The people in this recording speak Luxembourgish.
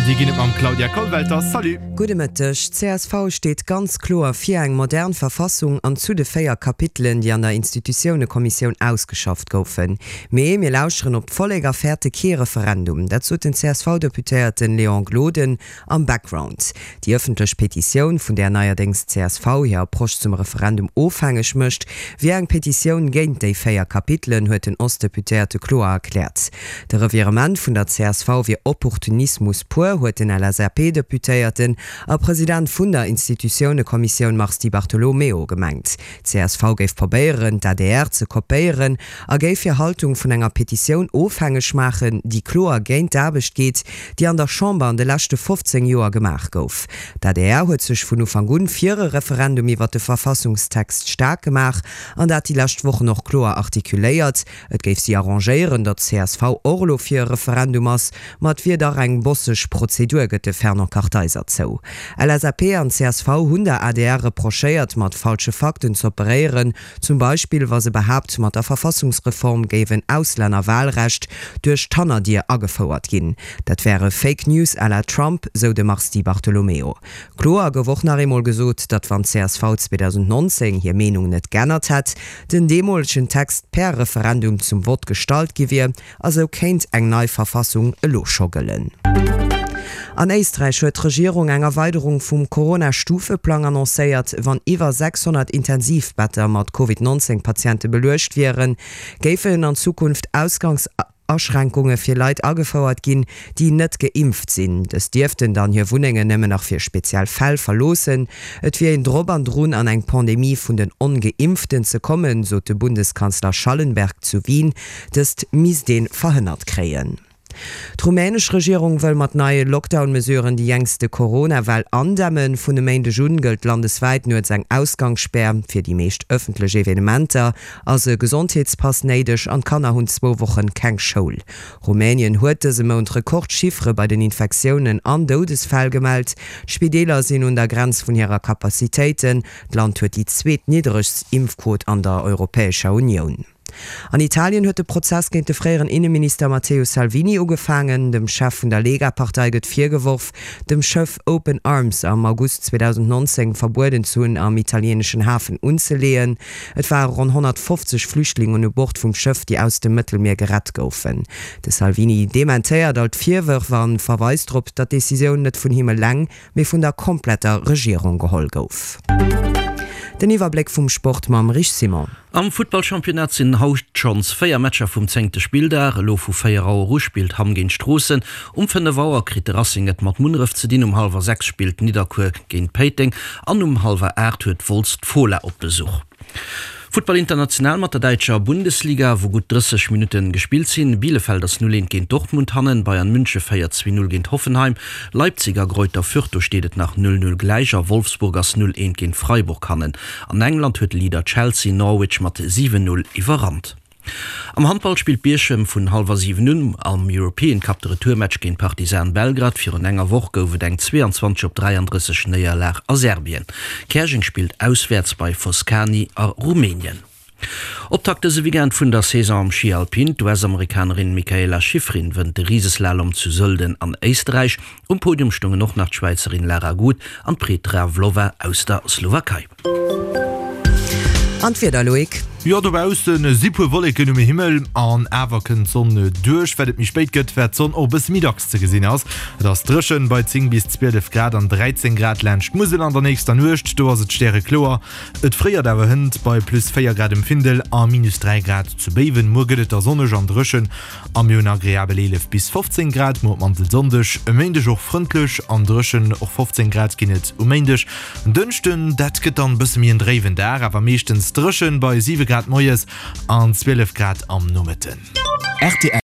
déi ginn et mam Claudia Kollwelter. Salut! Gudde Mëtteg. Csv steet ganz kloer fir eng modern Verfassung an zu de 4 Kapitelen, déi an der Institutiounekommissioun ausgeschafft goufen. Mee mir lauschteren op d'Vollek a fäerte kee Referendum. Dat sot den CSV-Deputéierten Léon Gloden Am Background, Déi ëffentlech Petitioun, vun där neierdéngs d'CSV hir Approche zum Referendum ofhängeg mécht, wier eng Petitioun géint déi 4 Kapitelen, huet den Ostdeputéierte kloer erkläert. De Revirement vun der csv wier Opportunismus pur, huet den LSAP-Deputéierten a President vun der Institutiounekommissioun Mars Di Bartolomeo gemengt. D'CSV géif probéieren, d'ADR ze kopéieren a géif hir Haltung vun enger Petitioun ofhängeg maachen, déi kloer géint d'Aarbecht geet, déi an der Chamber an de leschte 15 Joer gemaach gouf. D'ADR huet sech vun Ufank un fir e Referendum iwwer de Verfassungstext staark gemaach an dat déi lescht Wochen och kloer artikuléiert. Et géif si arrangéieren, datt csv och elo fir e Referendum ass, ma et wier dach eng bosseg Prozedur, gëtt de Fernand Kartheiser zou. LSAP an csv hunn der adr reprochéiert, mat falsche Fakten z'operéieren, zum Beispill wa se behaapt, mat der Verfassungsreform géif en Auslännerwahlrecht duerch d'Hannerdier agefouert ginn. Dat wäre Fake News à la Trump, sou de Mars Di Bartolomeo. Kloer gouf och nach eemol gesot, datt wann csv 2019 hir Meenung net g'ännert hätt, den deemolegen Text per Referendum zum Vott gestallt gi wier a sou kéint eng nei Verfassung elo scho gëllen. An Éisträich huet d'Regierung eng Erweiderung vum Corona-Stufeplang annoncéiert. Wann iwwer 600 Intensivbetter mat Covid 19 Patiente beluecht wieren, géifen an Zukunft Ausgangs. Aschränkunge fir Leit agefouert ginn, déi net geimpft sinn. Dës dierften dann hir Wunnengen nëmmen nach fir speziell Fäll verloossen. Et wier een drop an drun, an eng Pandemie vun den Ongeimpften ze kommen, sot de Bundeskanzler Schallenberg zu Wien. Dëst misst ee verhënnert kréien. D'rumänesch Regierung wëll mat neie Lockdown-Mesuren déi jengste Corona-Well andämmen. Vun e Méindeg un gëllt landeswäit nuets eng Ausgangsspär. Fir déi meescht ëffentlech Evenementer ass e Gesondheetspass néideg an d'Kanner hunn zwou Wochen keng Schoul. Rumänien huet dëse Mount Rekordchiffere bei den Infektiounen an Doudesfäll gemellt. D'Spideeler sinn un der Grenz vun hirer Capacitéiten. D'Land huet déi zweetnidderegst Impfquot an der Europäescher Unioun. An Italien huet de Prozess géint de fréieren Inneminister Matteo Salvini ugefaangen. Dem Chef vun der Lega-Partei gëtt virgeworf, dem Schëff Open Arms am August 2019 verbueden ze hunn, am italieeneschen Hafen unzeleeën. Et ware ronn 150 Flüchtlingen u Bord vum Schëff, déi aus dem Mëttelmier gerett goufen. De Salvini dementéiert all d'Virwërf a verweist drop, datt d'Decisioun net vun him eleng, mee vun der kompletter Regierung geholl gouf. Den Iwwerbléck vum Sport mam Rich Simon. Am Futtballchampionnat sinn haut schonns 4 Matcher vum zéngte Spilldag. Elo vu 4 Auer u spillt Hamm géint Stroossen, um 5 Auer kritt de Racing et mat Munneref ze dinn, um hallwer 6 spillt Nidderkuer géint Péiteng an um hallwer 8 huet Wolz d'Fola op Besuch. Futtball international mat der däitscher Bundesliga, wou gutt 30 Minutte gespillt sinn. Bielefeld ass 0, 1 géint Dortmund hannen, Bayern Münche féiert 2, 0 géint Hoffenheim, Leipzig a Greuther Fürth, do steet et nach 0, 0 gläich a Wolfsburg ass 0, 1 géint Freiburg hannen. An England huet Leader Chelsea Norwich mat 7, 0 iwwerrannt. Am Handball spillt Bierchem vun hallwer 7 un am European Cup de Retourmatch géint Partizan Belgrad. Virun enger Woch gouf et eng 22 op 33 Néierlag a Serbien. Käerjeng spillt auswäerts bei Foscani a Rumänien. Optakt dëse Weekend vun der Saison am Schi Alpin, D'US-Amerikanerin Mikaela Shiffrin wënnt de Riseslalom zu Sölden an Éisterräich. Um Podium stoungen och nach d'Schwäizerin Lara Gut an d'Petra Vlhova aus der Slowakei. An d'Wieder, Loïc? Jo, dobaussen si puer Wolleken um Himmel an awer kënnt d'Sonn duerch. Wat et méi spéit gëtt, wat d'Sonn och e bësse méi dacks ze gesinn ass. Et ass dréchen bei 10 bis 12 Grad an 13 Grad laanscht d'Musel an der nächster Nuecht. Do ass et stärekloer, et fréiert awer hënt bei plus 4 Grad um Findel a minus 3 Grad zu Béiwen. Muer gëtt et da sonneg an dréchen A mir hunn agreabel 11 bis 15 Grad muer op d'mannst e Sonndeg, e Méindeg och frëndlech an dréchen, och 15 Grad ginn et um Méindeg. En Dënschden, dat gëtt dann e bësse méi en dréiwen Dag, awer meeschtens dréchen bei 7 Grad moies an 12 Grad am Nomëtten. Rtl.